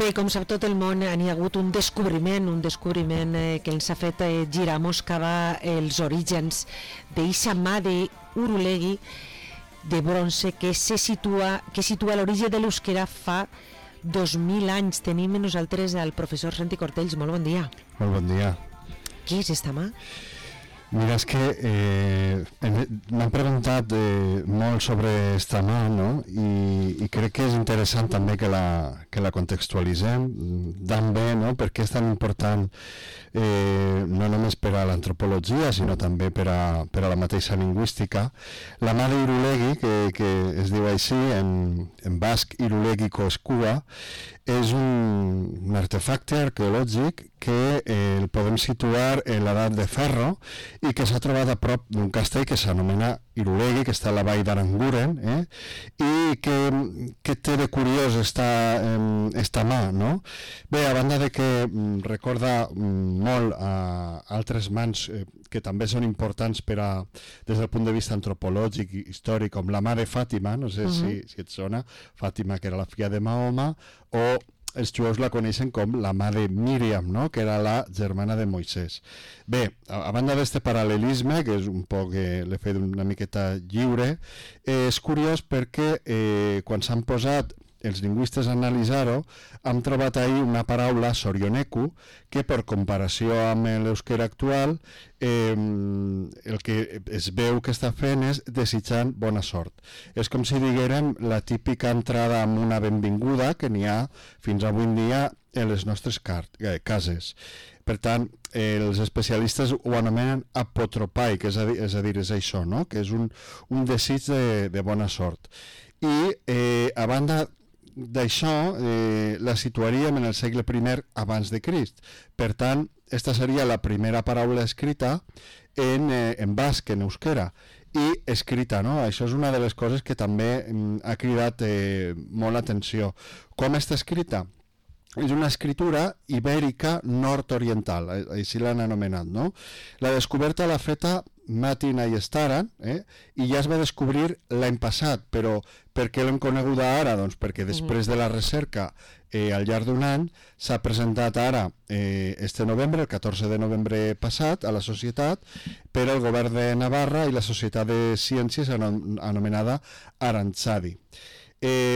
Bé, com sap tot el món, n'hi ha hagut un descobriment que ens ha fet girar moscava els orígens d'eixa mà d'Urulegui de bronze que situa a l'origen de l'euskera fa 2.000 anys. Tenim amb nosaltres el professor Santi Cortells. Molt bon dia. Molt bon dia. Què és esta mà? Mira, és que m'han preguntat molt sobre esta mà, no? I crec que és interessant també que la contextualitzem tan bé, no? Perquè és tan important no només per a l'antropologia, sinó també per a la mateixa lingüística. La mà d'Irulegui, que es diu així, en basc Irulegiko Eskua, és un artefacte arqueològic que el podem situar en l'edat de ferro i que s'ha trobat a prop d'un castell que s'anomena Irulegui, que està a la vall d'Aranguren, i que té de curiós esta mà, no? Bé, a banda de que recorda molt a altres mans que també són importants des del punt de vista antropològic i històric, com la mà de Fàtima, no sé si et sona, Fàtima, que era la filla de Mahoma, o els jueus la coneixen com la mà de Míriam, no? Que era la germana de Moisès. Bé, a banda d'este paral·lelisme, que és un poc, l'he fet una miqueta lliure, és curiós perquè quan s'han posat els lingüistes a analitzar-ho, hem trobat ahir una paraula, sorioneku, que per comparació amb l'euskera actual, el que es veu que està fent és desitjant bona sort. És com si diguérem la típica entrada amb una benvinguda que n'hi ha fins avui en dia en les nostres cases. Per tant, els especialistes ho anomenen apotropai, que és a dir, és això, no? Que és un desig de bona sort. I a banda d'això, la situaríem en el segle I abans de Crist. Per tant, esta seria la primera paraula escrita en basc, en euskera, i escrita, no? Això és una de les coses que també ha cridat molt l'atenció. Com està escrita? És una escritura ibèrica nord-oriental, així l'han anomenat, no? La descoberta l'ha feta Matin Ayestaran, i ja es va descobrir l'any passat, però per què l'hem coneguda ara? Doncs perquè després de la recerca al llarg d'un any s'ha presentat ara, este novembre, el 14 de novembre passat, a la societat, per al govern de Navarra i la Societat de Ciències anomenada Arantzadi.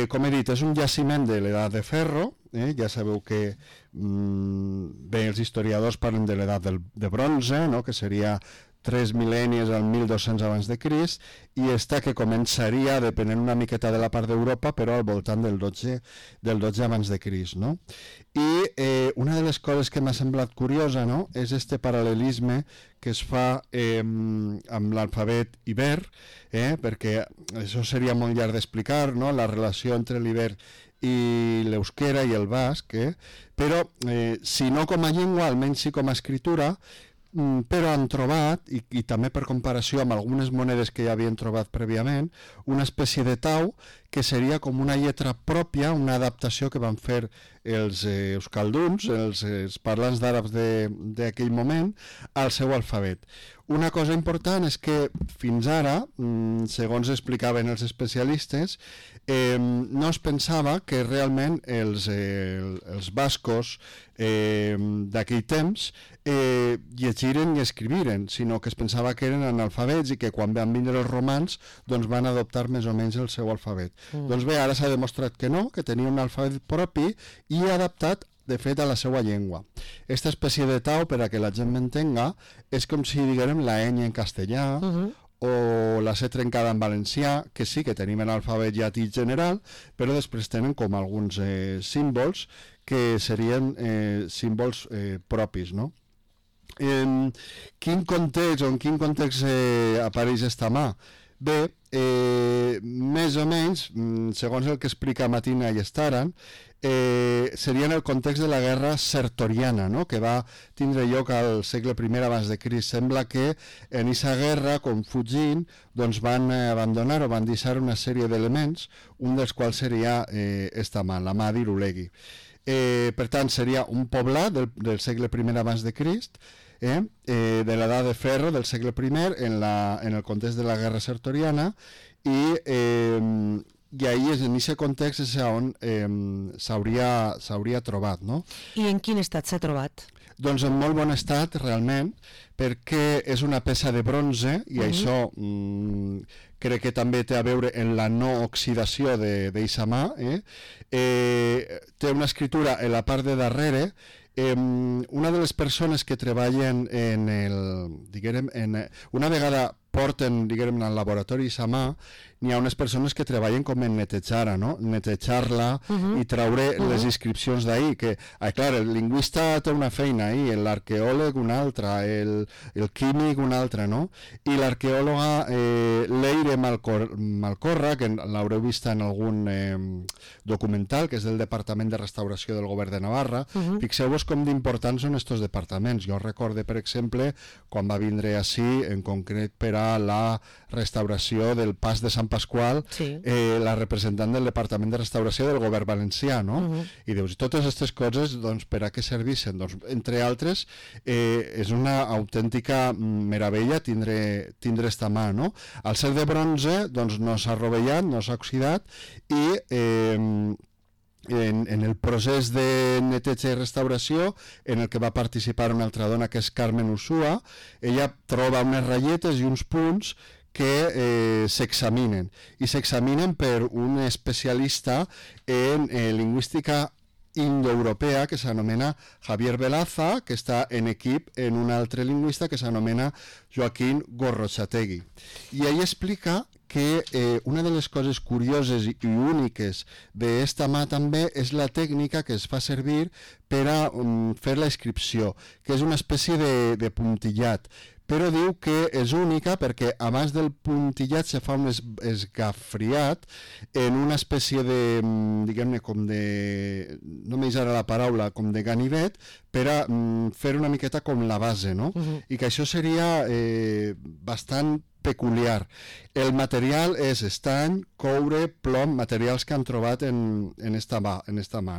Com he dit, és un jaciment de l'edat de ferro, ja sabeu que bé, els historiadors parlen de l'edat de bronze, no? Que seria 3 mil·lennis al 1200 abans de Crist, i esta que començaria, depenent una miqueta de la part d'Europa, però al voltant del 12 abans de Crist, no? I una de les coses que m'ha semblat curiosa, no?, és este paral·lelisme que es fa amb l'alfabet iber, perquè això seria molt llarg d'explicar, no?, la relació entre l'iber i l'euskera i el basc, però si no com a llengua, almenys sí com a escritura, però han trobat, i també per comparació amb algunes monedes que ja havien trobat prèviament, una espècie de tau que seria com una lletra pròpia, una adaptació que van fer els euskalduns, els parlants d'àrabs d'aquell moment, al seu alfabet. Una cosa important és que fins ara, segons explicaven els especialistes, no es pensava que realment els bascos d'aquell temps llegiren i escriviren, sinó que es pensava que eren analfabets i que quan van vindre els romans doncs van adoptar més o menys el seu alfabet. Doncs bé, ara s'ha demostrat que no, que tenia un alfabet propi i adaptat de fet a la seva llengua. Aquesta espècie de tau, per a que la gent m'entenga, és com si diguem la ñ en castellà o la C trencada en valencià, que sí que tenim l'alfabet llatí general, però després tenen com alguns símbols que serien símbols propis, no? En quin context apareix esta mà? Bé, més o menys, segons el que explica Matina i Staran, seria en el context de la guerra sertoriana, no?, que va tindre lloc al segle I abans de Crist. Sembla que en aquesta guerra, com fugint, doncs van abandonar o van deixar una sèrie d'elements, un dels quals seria esta mà, la mà d'Irulegui. Per tant, seria un poblat del segle I abans de Crist, de l'edat de ferro del segle I en el context de la guerra sertoriana, i i ahir en aquest context és on s'hauria trobat, no? I en quin estat s'ha trobat? Doncs en molt bon estat, realment, perquè és una peça de bronze i això crec que també té a veure en la no oxidació d'eixa mà. Té una escritura en la part de darrere. Una de les persones que treballen una vegada porten, diguem, al laboratori sa mà, n'hi ha unes persones que treballen com en netejar-la, no? Netejar-la i traure les inscripcions d'ahir, que, clar, el lingüista té una feina ahir, l'arqueòleg una altra, el químic una altra, no? I l'arqueòloga Leire Malcorra, que l'haureu vist en algun documental, que és del Departament de Restauració del Govern de Navarra. Fixeu-vos com d'importants són estos departaments. Jo recorde, per exemple, quan va vindre ací, en concret per a la restauració del Pas de Sant Pasqual, la representant del Departament de Restauració del Govern Valencià, no? I dius, totes aquestes coses, doncs, per a què serveixen? Doncs, entre altres, és una autèntica meravella tindre esta mà, no? Al ser de bronze, doncs, no s'ha rovellat, no s'ha oxidat, i en el procés de neteja i restauració, en el que va participar una altra dona, que és Carmen Usua, ella troba unes ratlletes i uns punts que s'examinen, i s'examinen per un especialista en lingüística indoeuropea que s'anomena Javier Velaza, que està en equip en un altre lingüista que s'anomena Joaquín Gorrotxategui. I ell explica que una de les coses curioses i úniques d'esta mà també és la tècnica que es fa servir per a fer la inscripció, que és una espècie de puntillat, però diu que és única perquè abans del puntillat se fa un esgafriat en una espècie de, diguem-ne, com de, no m'eix ara la paraula, com de ganivet, per a fer una miqueta com la base, no? I que això seria bastant peculiar. El material és estany, coure, plom, materials que han trobat en esta mà,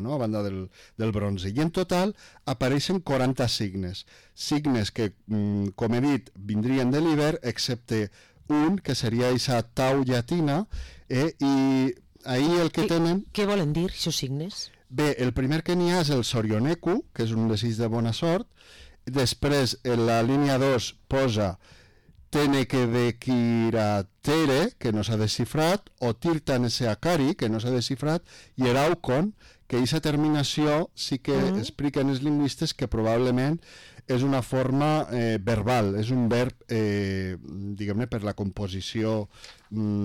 no? A banda del bronze. I en total apareixen 40 signes que, com he dit, vindrien de l'Iber, excepte un, que seria aquesta tau llatina, i ahir el que tenen... Què volen dir, aquests signes? Bé, el primer que n'hi ha és el sorioneku, que és un desig de bona sort. Després, en la línia 2 posa Teneke de Kiratere, que no s'ha desxifrat, o Tirtaneseakari, que no s'ha desxifrat, i Eraukon, que aquesta terminació sí que expliquen els lingüistes que probablement és una forma verbal, és un verb, diguem-ne, per la composició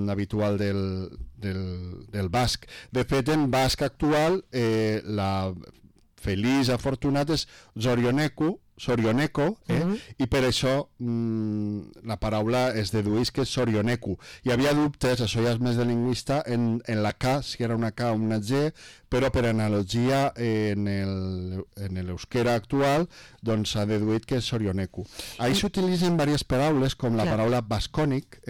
habitual del basc. De fet, en basc actual, la feliç, afortunat, és Sorioneko, i per això la paraula es dedueix que és Sorioneku. Hi havia dubtes, això ja és més de lingüista, en la K, si era una K o una G, però per analogia en l'euskera actual doncs s'ha deduït que és Sorioneku. Ahí s'utilitzen diverses paraules, com la paraula bascònic,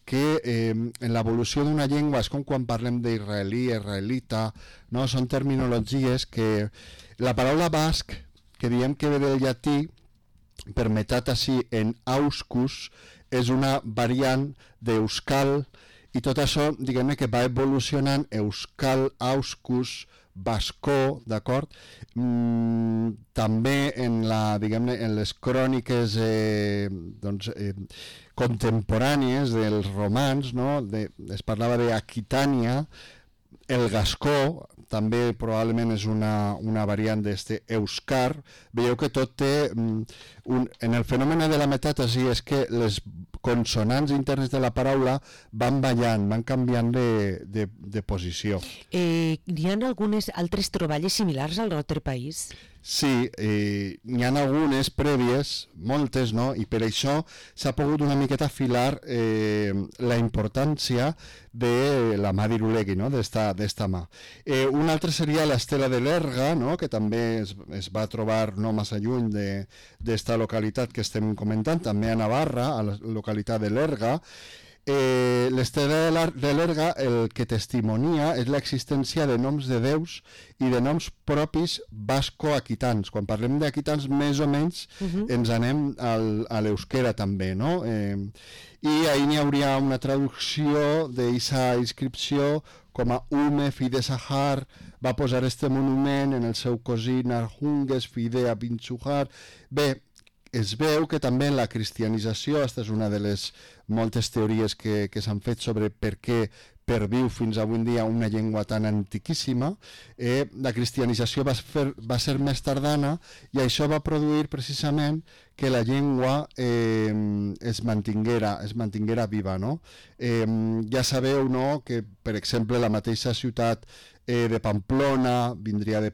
que en l'evolució d'una llengua és com quan parlem d'israelí, israelita, no? Són terminologies que la paraula basc, que diem que ve del llatí, permetat així en auscus, és una variant d'euskal, i tot això, diguem-ne, que va evolucionant euskal, auscus, bascó, d'acord? També en les cròniques contemporànies dels romans, no? Es parlava d'Aquitània. El gascó també probablement és una variant d'este euskar. Veieu que tot té... En el fenomen de la metàtesi és que les consonants internes de la paraula van ballant, van canviant de posició. Hi ha algunes altres troballes similars al nostre país? Sí, n'hi ha algunes prèvies, moltes, no? I per això s'ha pogut una miqueta afilar la importància de la mà d'Irulegui, no? d'esta mà. Una altra seria l'estela de l'Erga, no? Que també es va trobar no massa lluny d'esta localitat que estem comentant, també a Navarra, a la localitat de l'Erga. L'Estela de l'Erga el que testimonia és l'existència de noms de déus i de noms propis basco-aquitans. Quan parlem d'aquitans, més o menys ens anem a l'euskera també, no? I ahir n'hi hauria una traducció d'aquesta inscripció com a Ume, fill de Sahar, va posar este monument en el seu cosí Narhunges, fill de Abinchuhar. Bé, es veu que també en la cristianització, aquesta és una de les moltes teories que s'han fet sobre per què perviu fins avui en dia una llengua tan antiquíssima, la cristianització va ser més tardana i això va produir precisament que la llengua es mantinguera viva, no? Ja sabeu, no?, que per exemple la mateixa ciutat de Pamplona vindria de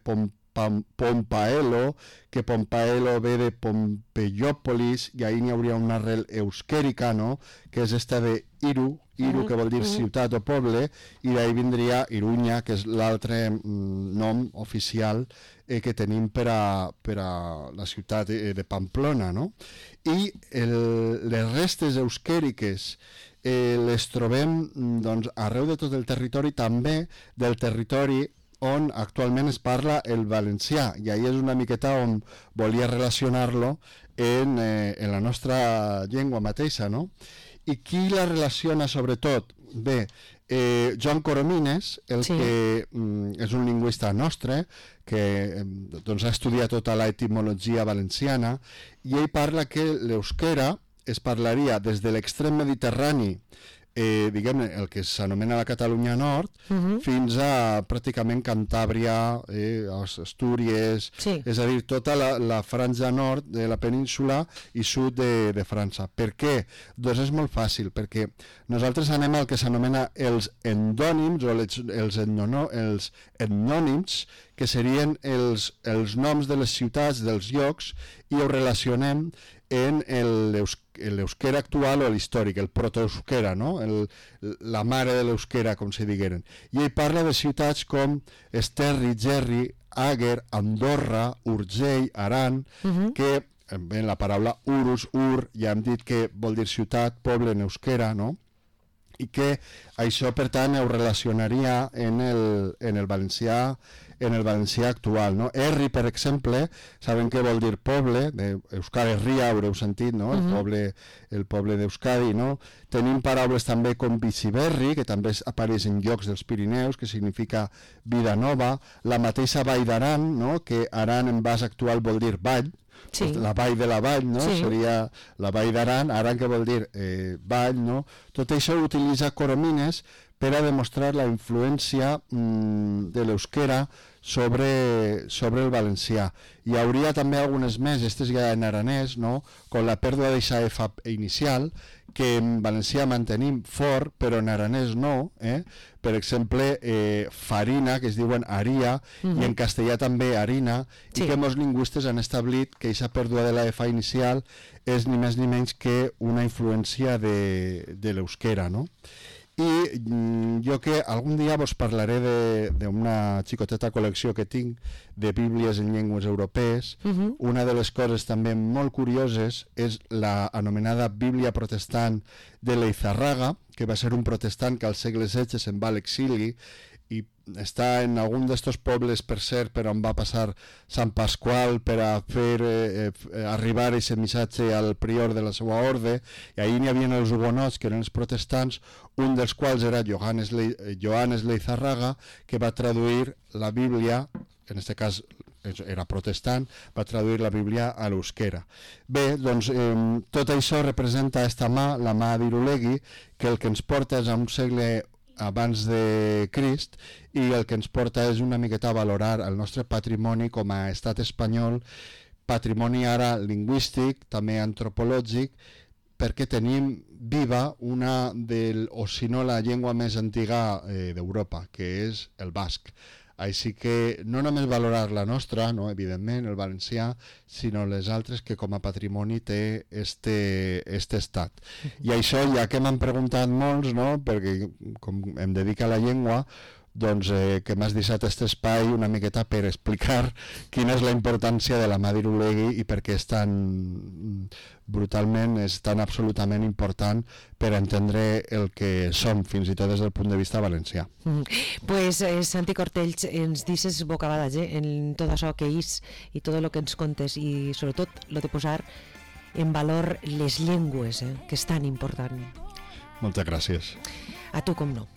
Pompaelo, que Pompaelo ve de Pompeiòpolis, i ahir n'hi hauria una arrel euskèrica, no?, que és esta de Iru, que vol dir ciutat o poble, i d'ahir vindria Iruña, que és l'altre nom oficial que tenim per a la ciutat de Pamplona, no? I les restes euskèriques les trobem doncs, arreu de tot el territori, també del territori on actualment es parla el valencià, i ahir és una miqueta on volia relacionar-lo en la nostra llengua mateixa, no? I qui la relaciona sobretot? Bé, Joan Coromines, que és un lingüista nostre, que doncs, ha estudiat tota l'etimologia valenciana, i ell parla que l'euskera es parlaria des de l'extrem mediterrani, diguem-ne, el que s'anomena la Catalunya Nord, fins a pràcticament Cantàbria, Astúries, és a dir, tota la franja nord de la península i sud de França. Per què? Doncs és molt fàcil, perquè nosaltres anem al que s'anomena els endònims o els etnònims, que serien els noms de les ciutats, dels llocs, i ho relacionem en l'euskera actual o l'històric, el protoeuskera, no? La mare de l'euskera, com se digueren. I ell parla de ciutats com Esterri, Gerri, Àger, Andorra, Urgell, Aran, que en la paraula urus, ja hem dit que vol dir ciutat, poble en euskera, no? I que això, per tant, ho relacionaria en el valencià actual, no? Erri, per exemple, saben què vol dir poble, Euskal Herria, haureu sentit, no? El poble d'Euskadi, no? Tenim paraules també com Biciberri, que també apareix en llocs dels Pirineus, que significa vida nova, la mateixa Vall d'Aran, no? Que Aran en base actual vol dir vall, la vall de la vall, no? Seria la vall d'Aran, Aran que vol dir vall, no? Tot això ho utilitza Coromines per a demostrar la influència de l'euskera sobre el valencià. Hi hauria també algunes més, aquestes ja en aranès, no? Com la pèrdua d'aquesta F inicial, que en valencià mantenim fort, però en aranès no. Per exemple, farina, que es diuen aria, i en castellà també harina, i que molts lingüistes han establit que aquesta pèrdua de la F inicial és ni més ni menys que una influència de l'euskera, no? I jo que algun dia vos parlaré d'una xicoteta col·lecció que tinc de bíblies en llengües europees. Una de les coses també molt curioses és la anomenada Bíblia protestant de Leizarraga, que va ser un protestant que al segle XVI se'n va a l'exili i està en algun d'estos pobles, per cert, per on va passar Sant Pasqual per a fer arribar aquest missatge al prior de la seva orde, i ahir n'hi havia els hugonots, que eren els protestants, un dels quals era Johannes Leizarraga, que va traduir la Bíblia, en aquest cas era protestant, va traduir la Bíblia a l'euskera. Bé, doncs tot això representa esta mà, la mà d'Irulegui, que el que ens porta és a un segle abans de Crist, i el que ens porta és una miqueta a valorar el nostre patrimoni com a estat espanyol, patrimoni ara lingüístic, també antropològic, perquè tenim viva una o si no la llengua més antiga d'Europa, que és el basc. Així que no només valorar la nostra, no, evidentment, el valencià, sinó les altres que com a patrimoni té este estat. I això, ja que m'han preguntat molts, no, perquè com em dedica a la llengua, doncs, que m'has deixat aquest espai una miqueta per explicar quina és la importància de la mà d'Irulegui i per què és tan brutalment, és tan absolutament important per entendre el que som, fins i tot des del punt de vista valencià. Pues Santi Cortells, ens dices bocabades en tot això que és i tot el que ens contes i sobretot lo de posar en valor les llengües, que és tan important. Moltes gràcies. A tu com no.